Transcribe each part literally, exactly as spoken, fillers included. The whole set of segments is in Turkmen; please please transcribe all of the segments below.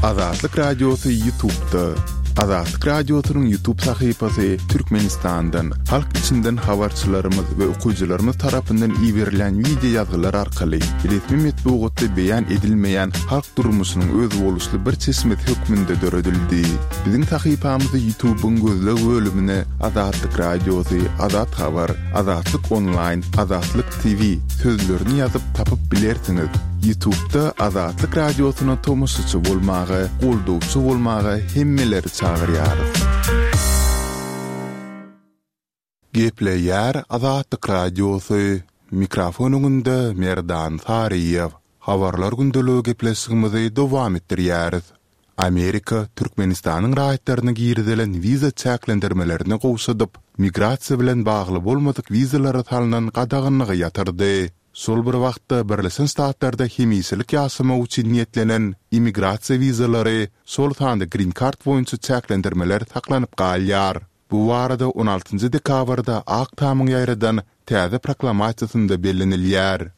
Azatlyk Radiosy YouTube'da. Azatlyk Radiosynyň YouTube sahypasy Türkmenistandan, halk içinden habarçylarymyz we okyjylarymyz tarapyndan iberilýän wideo ýazgylar arkaly resmi metbugatda beýan edilmeýän halk durmuşynyň özboluşly bir çeşmesi hökmünde döredildi. Biziň sahypamyzy YouTube'yň gözleg bölümine Azatlyk Radiosy, Azat Habar, Azatlyk Onlaýn, Azatlyk T V sözlerini ýazyp tapyp bilersiňiz. YouTube'da Azatlyk Radiosyna tomaşaçy bolmaga, goldawçy bolmaga hemmeleri çagyrýarys. Gepleýär Azatlyk Radiosy. Mikrofon öňünde Merdan Saryýew. Habarlar gündeligi gepleşigimizi dowam etdirýäris. Amerika Türkmenistanyň raýatlaryna girizilen wiza çäklendirmelerini gowşadyp, migrasiýa bilen bagly bolmadyk wizalara salnan gadaganlygy ýatyrdy. Şol bir wagtda Birleşen Ştatlarda hemişelik ýaşamak üçin niýetlenen immigrasiýa wizalary, şol sanda Green Card boýunça çäklendirmeler saklanyp galýar. Bu barada on altynjy dekabrda Ak Tamyň ýaýradan täze proklamasiýasynda bellenilýär.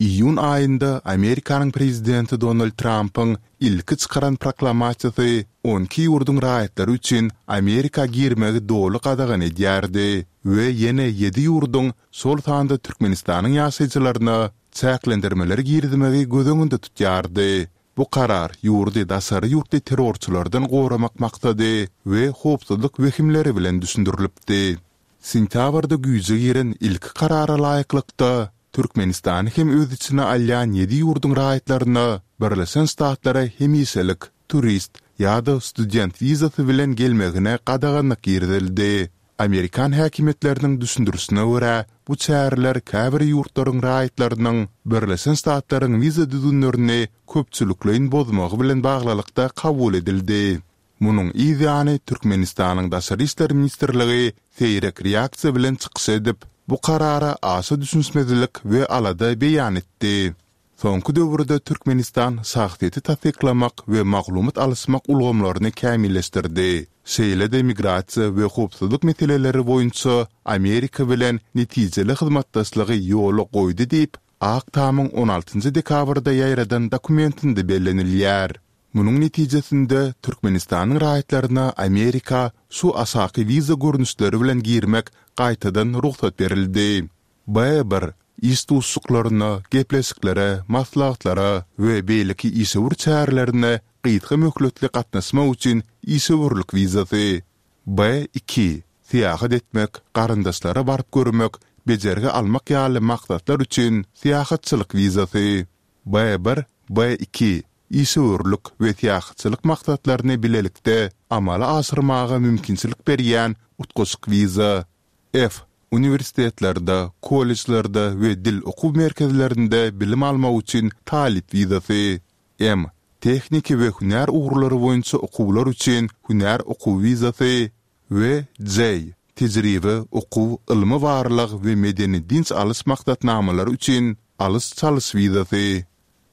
Iýun aýynda Amerikanyň prezidenti Donald Trampyň ilki çykaran proklamasiýasy on iki ýurduň raýatlary üçin Amerika girmegi doly gadagan edýärdi we ýene ýedi ýurduň, şol sanda Türkmenistanyň ýaşaýjylaryna çäklendirmeleri girizmegi göz öňünde tutýardy. Bu karar ýurdy daşary ýurtly terrorçylardan goramak maksady we howpsuzlyk wehimleri bilen düşündirilipdi. Sentýabrda güýje giren ilki karara laýyklykda, Türkmenistany hem öz içine alýan ýedi ýurduň raýatlaryna Birleşen Ştatlara hemişelik, turist ýa-da student wizasy bilen gelmegine gadaganlyk girizildi. Amerikan häkimiýetleriniň düşündirişine görä, bu çäreler käbir ýurtlaryň raýatlarynyň Birleşen Ştatlaryň wiza düzgünlerini köpçülikleýin bozmagy bilen baglylykda kabul edildi. Munuň yz ýany Türkmenistanyň Daşary işler ministrligi seýrek reaksiýa bilen çykyş edip, bu karara aşa düşünişmezlik we alada beýan etdi. Soňky döwürde Türkmenistan şahsyýeti tassyklamak we maglumat alyşmak ulgamlaryny kämilleşdirdi, şeýle-de migrasiýa we howpsuzlyk meseleleri boýunça Amerika bilen netijeli hyzmatdaşlygy ýola goýdy diýip, Ak Tamyň on altynjy dekabrda ýaýradan dokumentinde bellenilýär. Munuň netijesinde Türkmenistanyň raýatlaryna Amerika şu aşaky wiza görnüşleri bilen girmek gaýtadan rugsat berildi. B bir, iş duşuşyklaryna, gepleşiklere, maslahatlara we beýleki işewür çärelerine gysga möhletli gatnaşmak üçin işewürlik wizasy. B iki, syýahat etmek, garyndaşlara baryp görmek, bejergi almak ýaly maksatlar üçin syýahatçylyk wizasy. B bir, B iki, işewürlik we syýahatçylyk maksatlaryny bilelikde amala aşyrmaga mümkinçilik berýän utgaşyk wiza. F, uniwersitetlerde, kollejlerde we dil okuw merkezlerinde bilim almak üçin talyp wizasy. M, tehniki we hünär ugurlary boýunça okuwlar üçin hünär okuw wizasy we J, tejribe, okuw, ylmy-barlag we medeni-dynç alyş maksatnamalary üçin alyş-çalyş wizasy.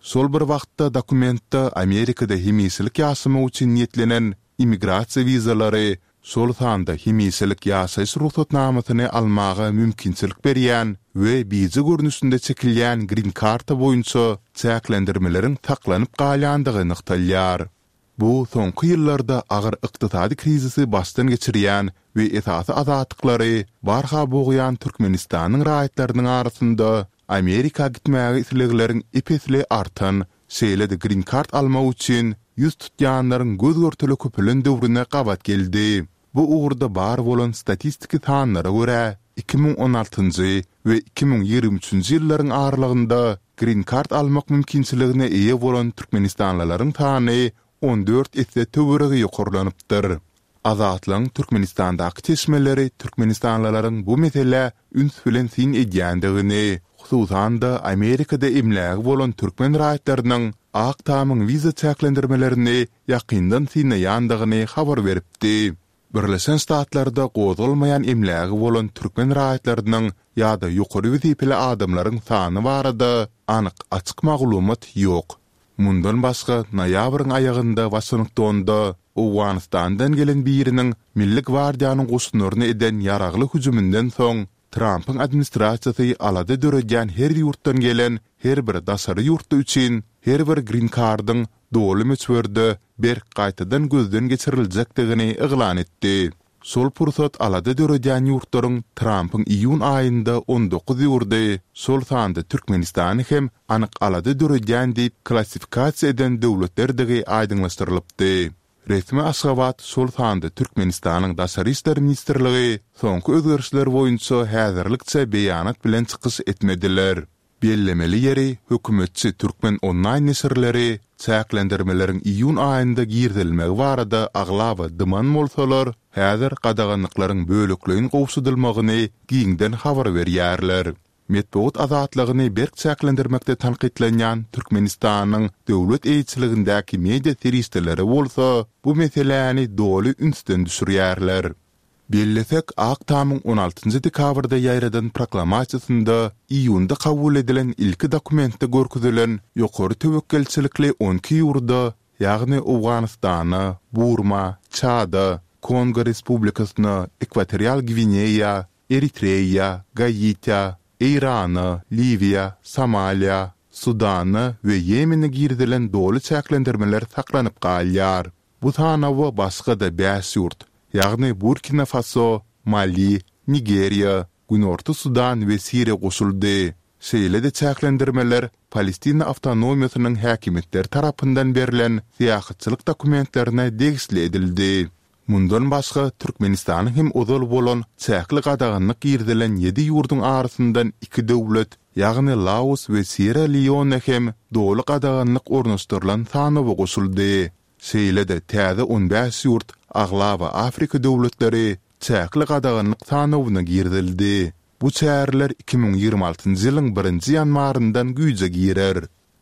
Şol bir wagtda dokumentde Amerikada hemişelik ýaşamak üçin niýetlenen immigrasiýa wizalary, şol sanda hemişelik ýaşaýyş rugsatnamasyny almaga mümkinçilik berýän we bije görnüşinde çekilýän grin-karta boýunça çäklendirmeleriň saklanyp galýandygy nygtalýar. Bu soňky ýyllarda agyr ykdysady krizisi başdan geçirýän we esasy azatlyklary barha bogýan Türkmenistanyň raýatlarynyň arasynda Amerika gitmäge islegleriň ep-esli artan, şeýle-de Green Card almak üçin ýüz tutýanlaryň göz-görtele köpelen döwrüne gabat geldi. Bu ugurda bar bolan statistiki sanlara görä, iki müň on altynjy we iki müň ýigrimi üçünji ýyllaryň aralygynda Green Card almak mümkinçiligine eýe bolan türkmenistanlylaryň sany on dört esse töweregi ýokarlanypdyr. Azatlygyň Türkmenistandaky çeşmeleri türkmenistanlylaryň bu meselä üns bilen syn edýändigini, hususan-da Amerikada emlägi bolan türkmen raýatlarynyň Ak Tamyň wiza çäklendirmelerini ýakyndan synlaýandygyny habar beripdi. Birleşen Ştatlarda gozgalmaýan emlägi bolan türkmen raýatlarynyň ýa-da ýokary wezipeli adamlaryň sany barada anyk açyk maglumat ýok. Mundan başga, noýabryň aýagynda Waşingtonda Owganystandan gelen biriniň Milli gwardiýanyň goşunlaryna eden ýaragly hüjüminden soň, Trampyň administrasiýasy alada döredýän her ýurtdan gelen her bir daşary ýurtly üçin her bir Green Card-yň doly möçberde berk gaýtadan gözden geçiriljekdigini yglan etdi. Şol pursat alada döredýän ýurtlaryň Trampyň iýun aýynda on dokuz ýurdy, şol sanda Türkmenistany hem anyk alada döredýän diýip klassifikasiýa eden döwletlerdigi aýdyňlaşdyrylypdy. Resmi Aşgabat, şol sanda Türkmenistanyň Daşary işler ministrligi soňky özgerişler boýunça häzirlikçe beýanat bilen çykyş etmediler. Bellemeli ýeri, hökümetçi Türkmen onlaýn neşirleri çäklendirmeleriň iýun aýynda girizilmegi barada aglaba dyman bolsalar, häzir gadaganlyklaryň bölekleýin gowşadylmagyny giňden habar berýärler. Metbugat azatlygyny berk çäklendirmekde tankytlanýan Türkmenistanyň döwlet eýeçiligindäki media serişdeleri bolsa bu meseläni doly ünsden düşürýärler. Bellesek, Ak Tamyň on altynjy dekabrda ýaýradan proklamasiýasynda iýunda kabul edilen ilki dokumentde görkezilen ýokary töwekgelçilikli on iki ýurda, ýagny Owganystana, Burma, Çada, Kongo Respublikasyna, Ekwatorial Gwineýa, Eritreýa, Gaitä, Eýrana, Liwiýa, Somaliýa, Sudana we Ýemene girizilen doly çäklendirmeler saklanyp galýar. Bu sanawa başga-da bäş ýurt, ýagny Burkina Faso, Mali, Nigeriýa, Günorta Sudan we Siriýa goşuldy. Şeýle-de çäklendirmeler Palestina awtonomiýasynyň häkimiýetleri tarapyndan berlen syýahatçylyk dokumentlerine degişli edildi. Mundan başga, Türkmenistanyň hem ozal bolan çäkli gadaganlyk girizilen ýedi ýurduň arasyndan iki döwlet, ýagny Laos we Sýerra-Leone hem doly gadaganlyk ornaşdyrylan sanawa goşuldy. Şeýle-de täze on bäş ýurt, aglaba Afrika döwletleri, çäkli gadaganlyk sanawyna girizildi. Bu çäreler iki müň ýigrimi altynjy ýylyň birinji ýanwaryndan güýje girer.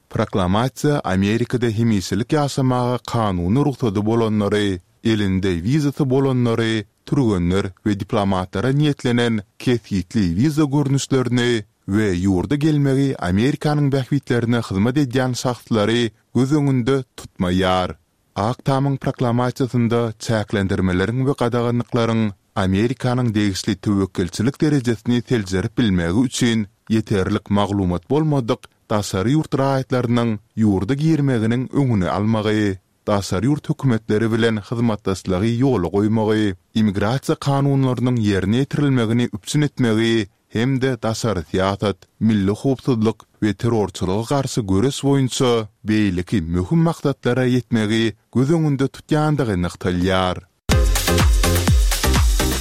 Proklamasiýa Amerikada hemişelik ýaşamaga kanuny rugsady bolanlary, elinde wizasy bolanlary, türgenler we diplomatlara niýetlenen kesgitli wiza görnüşlerini we ýurda gelmegi Amerikanyň bähbitlerine hyzmat edýän şahslary göz öňünde tutmaýar. Ak Tamyň proklamasiýasynda çäklendirmeleriň we gadaganlyklaryň Amerikanyň degişli töwekgelçilik derejesini seljerip bilmegi üçin ýeterlik maglumat bolmadyk daşary ýurt raýatlarynyň ýurda girmeginiň öňüni almagy, daşary ýurt hökümetleri bilen hyzmatdaşlygy ýola goýmagy, immigrasiýa kanunlarynyň ýerine ýetirilmegini üpjün etmegi hem-de daşary syýasat, milli howpsuzlyk we terrorçylyga garşy göreş boýunça beýleki möhüm maksatlara ýetmegi göz öňünde tutýandygy nygtalýar.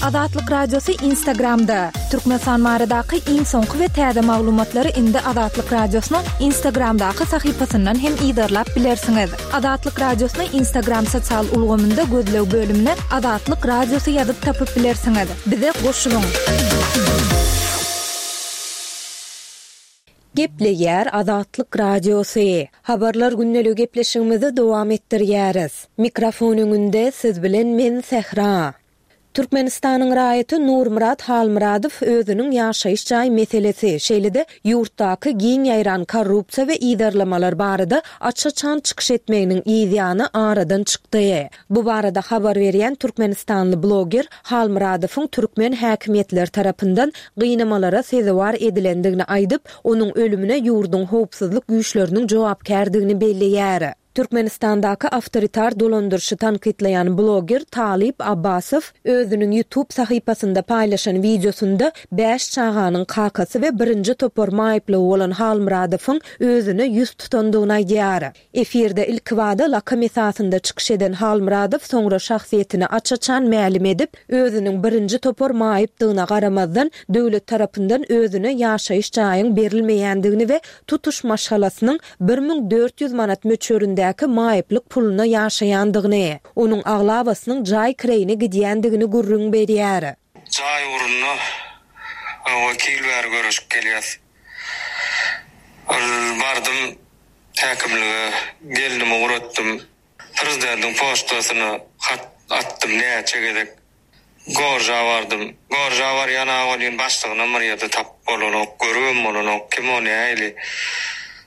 Azatlyk Radiosy Instagramda. Türkmenistan baradaky iň soňky we täze maglumatlary indi Azatlyk Radiosynyň Instagramdaky sahypasyndan hem yzarlap bilersiňiz. Azatlyk Radiosyny Instagram sosial ulgamynda gözleg bölümine Azatlyk Radiosy ýazyp tapyp bilersiňiz. Bize goşulyň! Gepleýär Azatlyk Radiosy. Habarlar gündeligi gepleşigimizi dowam etdirýäris. Mikrofon öňünde siz bilen men Sähra. Türkmenistanyň raýaty Nurmyrat Halmyradow özüniň ýaşaýyş jaý meselesi, şeýle-de ýurtdaky giň ýaýran korrupsiýa we yzarlamalar barada aç-açan çykyş etmeginiň yzýany aradan çykdy. Bu barada habar berýän türkmenistanly bloger Halmyradowyň türkmen häkimiýetleri tarapyndan gynamalara sezewar edilendigini aýdyp, onuň ölümine ýurduň howpsuzlyk güýçleriniň jogapkärdigini belleýär. Türkmenistandaky awtoritar dolandyryşy tankytlaýan bloger Talyp Abbasow özüniň YouTube sahypasynda paýlaşan wideosynda bäş çaganyň kakasy we birinji topar maýyplygy bolan Halmyradowyň özüne ýüz tutandygyny aýdýar. Efirde ilkibada lakam esasynda çykyş eden Halmyradow soňra şahsyýetini aç-açan mälim edip, özüniň birinji topar maýypdygyna garamazdan, döwlet tarapyndan özüne ýaşaýyş jaýyň berilmeýändigini we tutuş maşgalasynyň bir müň dört ýüz manat möçberindäki maýyplyk puluna ýaşaýandygyny, onuň aglabasynyň jaý kireýine gidýändigini gürrüň berýär. Jaý ugrunda wekil bäri göreşip gelýäs. Ol bardym häkimlige, gelnimi ugratdym. Prezidentiň poçtasyna hat atdym näçe gezek. Gorja bardym. Gorja barýan-a welin başlygynam bir ýerde tapyp bolanok, görübem bolanok, kim o nähili.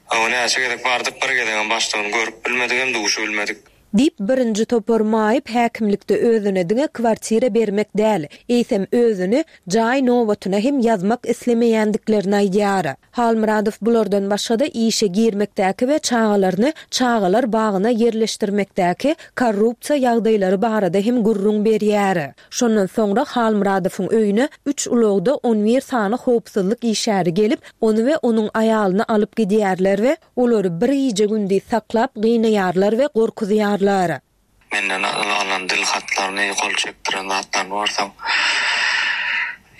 Hawa näçe gezek bardyk, bir gezegem başlygyny görüp bilmedik hem duşubilmedik. Diýip, birinji topar maýyp häkimlikde özüne diňe kwartira bermek däl, eýsem özüni jaý nobatyna hem ýazmak islemeýändiklerini aýdýar. Halmyradow bulardan başga-da işe girmekdäki we çagalaryny çagalar bagyna ýerleşdirmekdäki korrupsiýa ýagdaýlary barada hem gürrüň berýär. Şondan soňra Halmyradowyň öýüne üç ulagda on bir sany howpsuzlyk işgäri gelip, ony we onuň aýalyny alyp gidýärler we olary bir gije-gündiz saklap gynaýarlar we gorkuzýarlar. Menden alan dil hatlaryny, gol çekdiren zatlaryny görseň,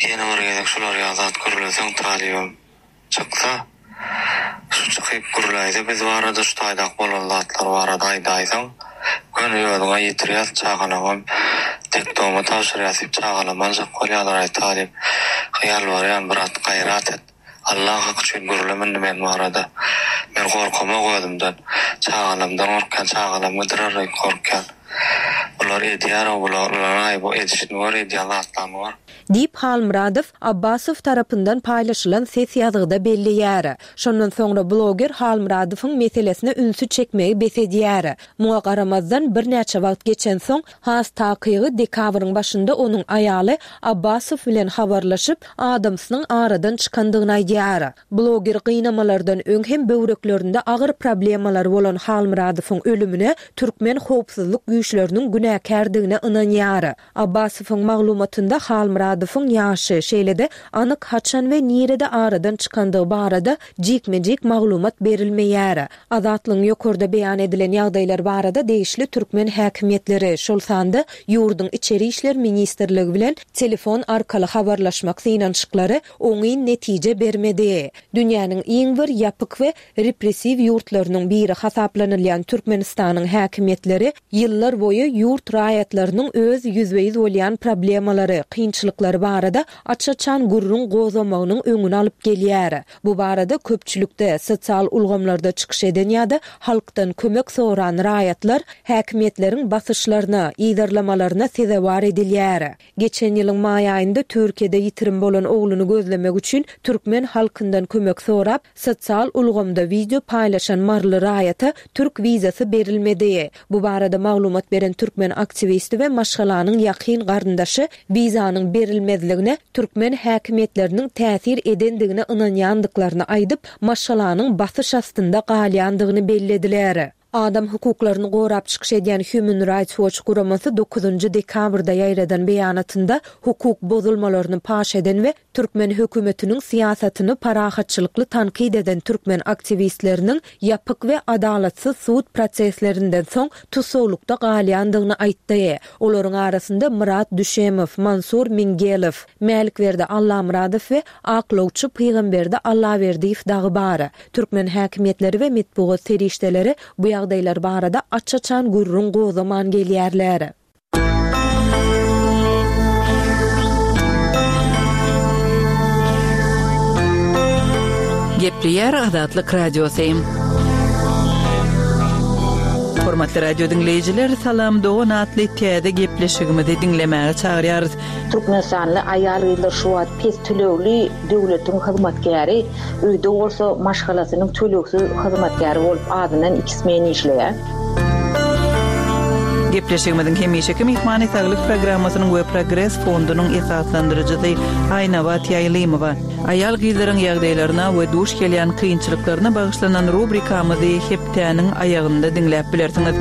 ýene bir gezek şular ýaly zat gürleseň talybym çyksa, şu çykyp gürläýse biz barada, şu taýdak bolan zatlar barada aýdaýsaň, göni özüňe ýetirýäs, çagalaňam detdoma tabşyrýas diýip çagalam aljak bolýarlar, aý talyp, ýalbarýan bir at gaýrat et. Allah haky üçin gürleme indi men barada. Men gorkamok özümden. Çagalamdan gorkýan, çagalam gidirer diýip gorkýan. Bular edýär, bular, bular aý bu edişini gör, edýän zatlaryny gör. Diýip Halmyradow Abbasow tarapyndan paýlaşylan ses ýazgyda belleýär. Şondan soňra bloger Halmyradowyň meselesine ünsi çekmegi bes edýär. Muňa garamazdan birnäçe wagt geçensoň, has takygy dekabryň başynda onuň aýaly Abbasow bilen habarlaşyp, adamsynyň aradan çykandygyny aýdýar. Bloger gynamalardan öň hem böwreklerinde agyr problemalar bolan Halmyradowyň ölümine türkmen howpsuzlyk güýçleriniň günäkärdigine ynanýar. Abbasowyň maglumatynda Halmyradowyň ýaşy, şeýle-de anyk haçan we nirede aradan çykandygy barada jikme-jik maglumat berilmeýär. Azatlygyň ýokarda beýan edilen ýagdaýlar barada degişli türkmen häkimiýetleri, şol sanda ýurduň Içeri işler ministrligi bilen telefon arkaly habarlaşmak synanyşyklary oňyn netije bermedi. Dünýäniň iň bir ýapyk we repressiw ýurtlarynyň biri hasaplanylýan Türkmenistanyň häkimiýetleri ýyllar boýy ýurt raýatlarynyň öz ýüzbe-ýüz bolýan problemalary, kynçylyklary barada aç-açan gürrüň gozamagynyň öňüni alyp gelýär. Bu barada köpçülikde, sosial ulgamlarda çykyş eden ýa-da halkdan kömek soran raýatlar häkimiýetleriň basyşlaryna, ýygarlamalaryna sezewar edilýär. Geçen ýylyň maý aýynda Türkiýede ýitirim bolan ogluny gözlemek üçin türkmen halkyndan kömek sorap, sosial ulgamda video paýlaşan Marly raýata türk wizasy berilmedi. Bu barada maglumat beren türkmen aktiwisti we maşgalanyň ýakyn garyndaşy wizanyň berilmezligine türkmen häkimiýetleriniň täsir edendigine ynanýandyklaryny aýdyp, maşgalanyň basyş astynda galýandygyny bellediler. Adam hukuklaryny gorap çykyş edýän Human Rights Watch guramasy dokuzynjy dekabrda ýaýradan beýanatynda hukuk bozulmalaryny paş eden we türkmen hökümetiniň syýasatyny parahatçylykly tankyt eden türkmen aktiwistleriniň ýapyk we adalatsyz sud proseslerinden soň tussaglykda galýandygyny aýtdy. Olaryň arasynda Murat Düşemow, Mansur Mingelow, Mälikberdi Allamyradow we aklawçy Pygamberdi Allaberdiýew dagy bar. Türkmen häkimiýetleri we metbugat serişdeleri bu ýagdaýlar barada aç-açan gürrüň gozaman gelýärler. Gepleýär Azatlyk Radiosy. Hormatly radio diňleýjiler, Salam Dogan atly täze gepleşigimizi diňlemäge çagyrýarys. Türkmenistanly aýal gyzlar şu wagt pes tölegli döwletiň hyzmatkäri, öýde bolsa maşgalasynyň tölegsiz hyzmatkäri bolup adyndan iki smen işleýär. Gepleşigimiziň hemişeki myhmany saglyk programmasynyň we Progres fondunyň esaslandyryjysy Aýnabat Ýaýlymowa. Aýal gyzlaryň ýagdaýlaryna we duş gelýän kynçylyklaryna bagyşlanan rubrikamyzy hepdäniň aýagynda diňläp bilersiňiz.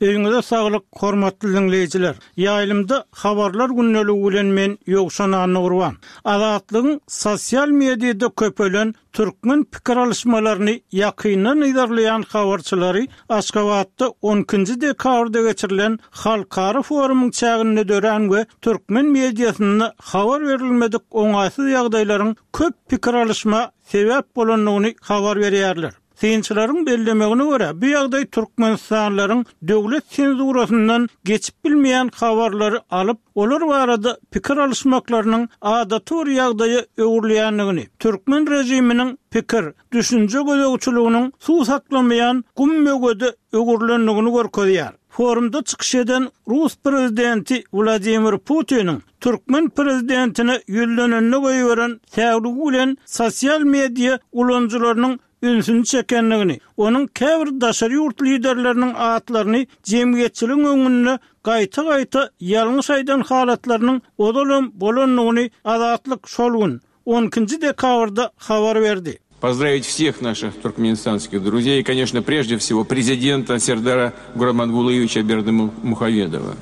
Öýüňize saglyk, hormatly diňleýjiler. Ýaýlymda habarlar gündeligi bilen men Ýowşan Annagurban. Azatlygyň sosial mediada köpelen türkmen pikir alyşmalaryny ýakyndan yzarlaýan habarçylary Aşgabatda on ikinji dekabrda geçirilen halkara forumyň çäginde dörän we türkmen mediasynda habar berilmedik oňaýsyz ýagdaýlaryň köp pikir alyşma sebäp bolandygyny habar berýärler. Synçylaryň bellemegine görä, bu ýagdaý Türkmenistanlaryň döwlet senzurasyndan geçip bilmeýän habarlary alyp, olar barada pikir alyşmaklarynyň adaty bir ýagdaýa öwrülýändigini, türkmen rejiminiň pikir, düşünje gözegçiliginiň suw saklamaýan gum möwede öwrülendigini görkezýär. Forumda çykyş eden Rus prezidenti Wladimir Putiniň türkmen prezidentine ýüzlenende goýberen säwligi bilen sosial media ulanyjylarynyň ünsüni çekendigini, onuň käbir daşary ýurt liderleriniň atlaryny jemgyýetçiligiň öňünde gaýta-gaýta ýalňyş aýdan halatlarynyň ozalam bolandygyny Azatlyk şol gün, on ikinji dekabrda habar berdi. Поздравить всех наших туркменистанских друзей и, конечно, прежде всего президента Сердара Гурбангулыевича Бердымухамедова,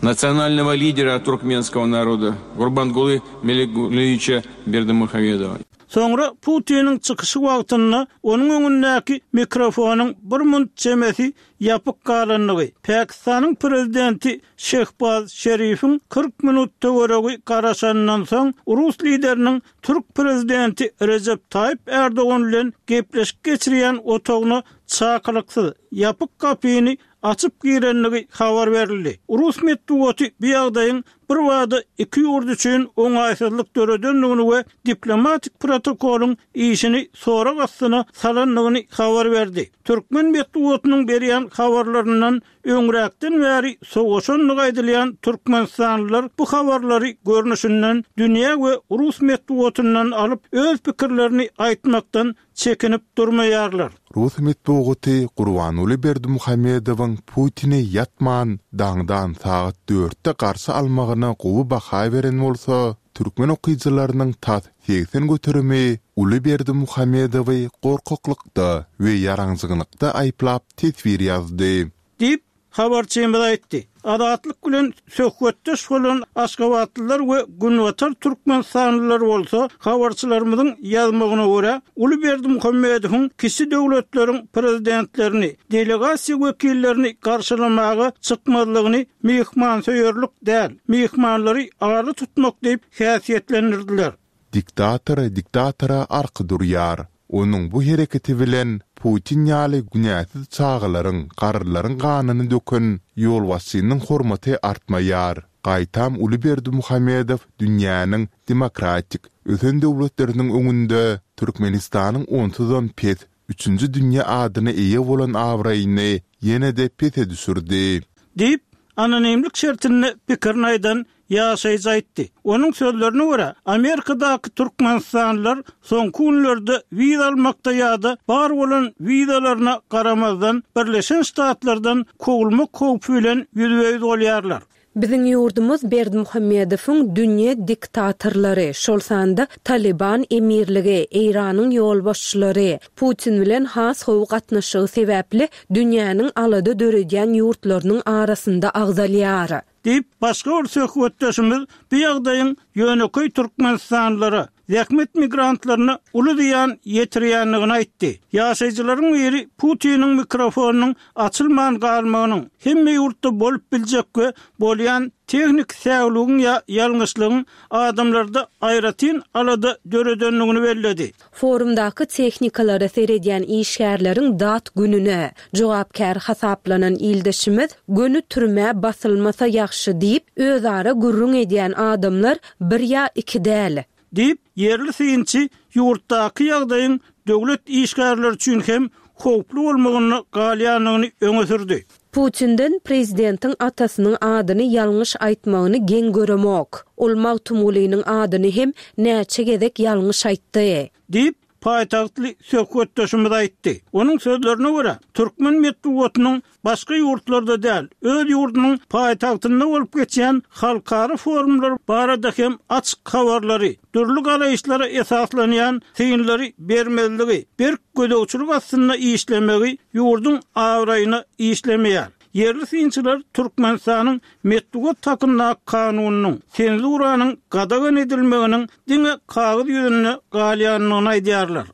национального лидера туркменского народа Гурбангулы Меликгулыевича Бердымухамедова. Soňra Putiniň çykyşy wagtynda onuň öňündäki mikrofonyň bir munt çemesi ýapyk galandygy, Pakistanyň prezidenti Şehbaz Şerifiň kyrk minut töweregi garaşanyndan soň rus lideriniň türk prezidenti Rejep Taýyp Erdogan bilen gepleşik geçirýän otagyna çakylyksyz ýapyk gapyny açyp girenligi habar berildi. Rus metbugaty bu ýagdaýyň bir wada iki ýurt üçin oňaýsyzlyk döredendigini we diplomatik protokolyň işini sorag astyna salandygyny habar berdi. Türkmen metbugatynyň berýän habarlaryndan öňräkden bäri sowaşanlygy aýdylýan Türkmenistanlylar bu habarlary görnüşinden dünýä we rus metbugatyndan alyp öz pikirlerini aýtmakdan çekinip durmaýarlar. Rus metbugaty Gurbanguly Berdimuhamedowyň Putini ýatman daňdan sagat dörtde garşy almagyna gowy baha beren bolsa, türkmen okyjylarynyň tas segsen göterimi Uly Berdimuhamedowy gorkaklykda we ýaraňjyglykda aýyplap teswir ýazdy. Diýip habarçymyz aýtdy. Azatlyk bilen söhbetdeş bolan Aşgabatlylar we Günbatar Türkmenistanlylar bolsa habarçylarymyzyň ýazmagyna görä Uly Berdimuhamedowyň kiçi döwletleriň prezidentlerini, delegasiýa wekillerini garşylamaga çykmazlygyny myhmansöýerlik däl, myhmanlary aly tutmak diýip häsiýetlendirdiler. Diktator diktatora arka durýar. Onuň bu hereketi bilen Putin ýaly günäsiz çagalaryň, garrylaryň ganyny döken ýolbaşçynyň hormaty artmaýar. Gaýtam Uly Berdimuhamedow dünýäniň demokratik ösen döwletleriniň öňünde Türkmenistanyň onsuzam pes üçünji dünýä adyna eýe bolan abraýyny ýene-de pese düşürdi. Diýip, anonimlik şertinde pikirini aýdan ýaşaýjy aýtdy. Onuň sözlerine görä, Amerikadaky Türkmenistanlylar soňky günlerde wiza almakda ýa-da bar bolan wizalaryna garamazdan Birleşen Ştatlardan kowulmak howpy bilen ýüzbe-ýüz bolýarlar. Biziň ýurdumyz Berdimuhamedowyň dünýä diktatorlary, şol sanda Taliban emirligi, Eýranyň ýolbaşçylary, Putin bilen has gowy gatnaşygy sebäpli dünýäniň alada döredýän ýurtlarynyň arasynda agzalýar. Diýip, başga bir söhbetdeşimiz bu ýagdaýyň ýönekeý Türkmenistanlylara, zähmet migrantlaryna uly zyýan ýetirýändigini aýtdy. Ýaşaýjylaryň biri Putiniň mikrofonynyň açylman galmagynyň hemme ýurtda bolup biljek we bolýan tehnik säwligiň ýa ýalňyşlygyň adamlarda aýratyn alada döredendigini belledi. Forumdaky tehnikalara seredýän işgärleriň dat gününe jogapkär hasaplanan ildeşimiz göni türmä basylmasa ýagşy diýip, özara gürrüň edýän adamlar bir ýa iki däl. Diýip, ýerli synçy ýurtdaky ýagdaýyň döwlet işgärleri üçin hem howply bolmagyny galýandygyny öňe sürdi. Putinden prezidentiň atasynyň adyny ýalňyş aýtmagyny geň göremok. Ol Magtymgulynyň adyny hem näçe gezek ýalňyş aýtdy. Diýip, paýtagtly söhbetdeşimiz aýtdy. Onuň sözlerine görä, türkmen metbugatynyň başga ýurtlarda däl, öz ýurdunyň paýtagtynda bolup geçýän halkara forumlar barada hem açyk habarlary, dürli garaýyşlara esaslanýan synlary bermezligi, berk gözegçilik astynda işlemegi ýurduň abraýyna işlemeýär. Ýerli synçylar Türkmenistanyň metbugat hakyndaky kanunynyň senzuranyň gadagan edilmeginiň diňe kagyz ýüzünde galýandygyny aýdýarlar.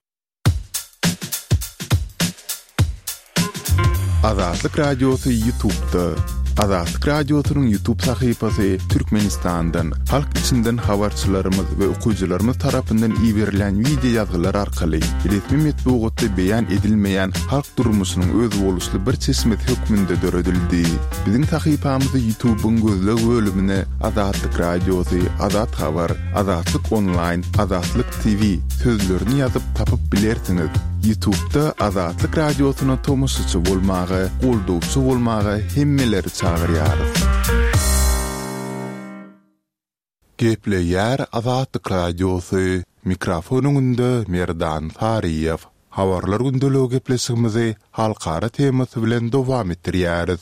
Azatlyk Radiosy YouTube'da. Azatlyk Radiosynyň YouTube sahypasy Türkmenistandan, halk içinden habarçylarymyz we okyjylarymyz tarapyndan iberilen video ýazgylar arkaly resmi metbugatda beýan edilmeýän halk durmuşynyň özboluşly bir çeşmesi hökmünde döredildi. Biziň sahypamyzy YouTube'yň gözleg bölümine Azatlyk Radiosy, Azat Habar, Azatlyk Online, Azatlyk T V sözlerini ýazyp tapyp bilersiňiz. YouTube'da Azatlyk Radiosyna tomaşaçy bolmaga, goldawçy bolmaga hemmeleri çagyrýarys. Gepleýär Azatlyk Radiosy. Mikrofon öňünde Merdan Saryýew. Habarlar gündeligi gepleşigimizi halkara temasy bilen dowam etdirýäris.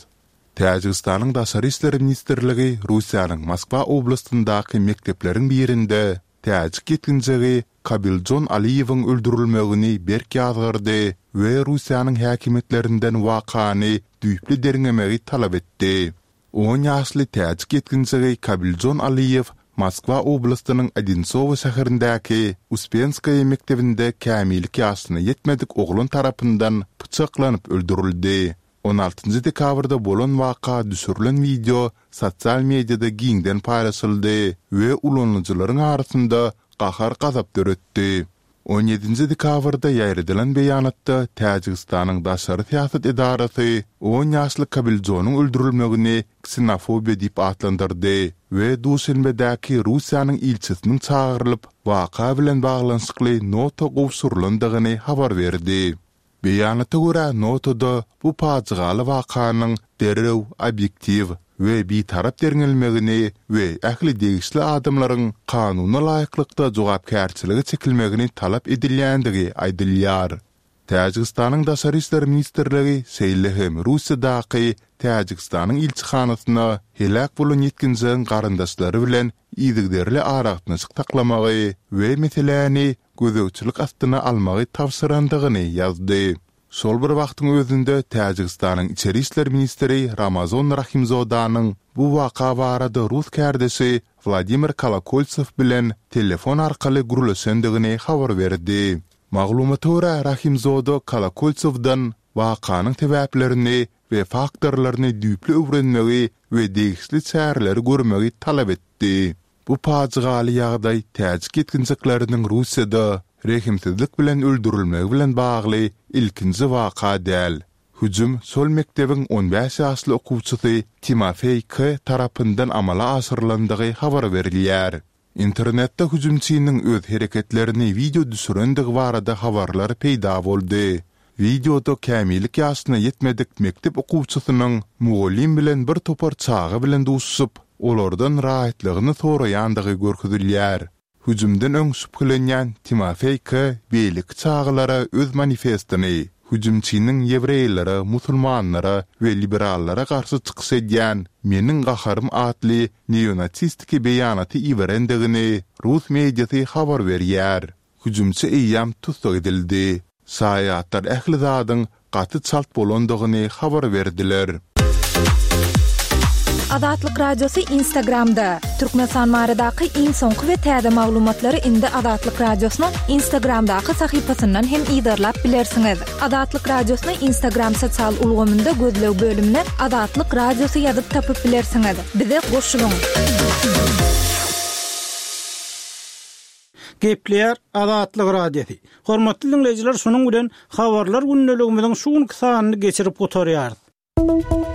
Täjigistanyň Daşary işler ministrligi Russiýanyň Moskwa oblastyndaky mekdepleriň birinde täjik ýetginjegi Kabiljon Aliýewiň öldürilmegini berk ýazgardy we Russiýanyň häkimiýetlerinden wakany düýpli derňemegi talap etdi. On ýaşly täjik ýetginjegi Kabiljon Aliýew Moskwa oblastynyň Odinsowo şäherindäki Uspenskaýa mekdebinde kämillik ýaşyna ýetmedik oglan tarapyndan pyçaklanyp öldürildi. On altynjy dekabrda bolan waka düşürilen wideo sosial mediada giňden paýlaşyldy we ulanyjylaryň arasynda gahar-gazap döretdi. On ýedinji dekabrda ýaýradylan beýanatda Täjigistanyň daşary syýasat edarasy on ýaşly Kabiljonyň öldürilmegini ksenofobiýa diýip atlandyrdy we Duşenbedäki Russiýanyň ilçisiniň çagyrylyp, waka bilen baglanyşykly nota gowşurylandygyny habar berdi. Beýanata görä, notada bu pajygaly wakanyň derrew obýektiw we bitarap derňelmegini we ähli degişli adamlaryň kanuna laýyklykda jogapkärçilige çekilmegini talap edilýändigi aýdylýar. Täjigistanyň Daşary işler ministrligi şeýle hem Russiýadaky Täjigistanyň ilçihanasyna heläk bolan ýetginjegiň garyndaşlary bilen yzygiderli aragatnaşyk saklamagy we meseläni gözegçilik astyna almagy tabşyrandygyny ýazdy. Şol bir wagtyň özünde Täjigistanyň içeri işler ministri Ramazon Rahimzodanyň bu waka barada rus kärdeşi Wladimir Kolokoltsew bilen telefon arkaly gürleşendigini habar berdi. Maglumata görä, Rahimzoda Kolokoltsewden wakanyň sebäplerini we faktorlaryny düýpli öwrenmegi we degişli çäreleri görmegi talap etdi. Bu pajygaly ýagdaý täjik ýetginjekleriniň Russiýada rehimsizlik bilen öldürilmegi bilen bagly ilkinji waka däl. Hüjüm şol mekdebiň on bäş ýaşly okuwçysy Timofeý K. tarapyndan amala aşyrylandygy habar berilýär. Internetde hüjümçiniň öz hereketlerini wideo düşürendigi barada habarlar peýda boldy. Wideoda kämillik ýaşyna ýetmedik mekdep okuwçysynyň mugallym bilen bir topar çaga bilen duşuşyp, olardan rahatlygyny soraýandygy görkezilýär. Hüjümden öň şübhelenýän Timofeý K. Beýleki çagalara öz manifestini, hüjümçiniň ýewreýlere, musulmanlara we liberallara garşy çykyş edýän Meniň gaharym atly neonasistiki beýanaty iberendigini rus mediasy habar berýär. Hüjümçi eýýäm tussag edildi. Şaýatlar ähli zadyň gaty çalt bolandygyny habar berdiler. Azatlyk Radiosy Instagramda. Türkmenistan baradaky iň soňky we täze maglumatlary indi Azatlyk Radiosynyň Instagramdaky sahypasyndan hem yzarlap bilersiňiz. Azatlyk Radiosyny Instagram sosial ulgamynda gözleg bölümine Azatlyk Radiosy ýazyp tapyp bilersiňiz. Bize goşulyň. Gepleýär Azatlyk Radiosy. Hormatly dinleýjiler, şunuň bilen habarlar gündeligimiziň şu günki sanyny geçirip gutarýarys.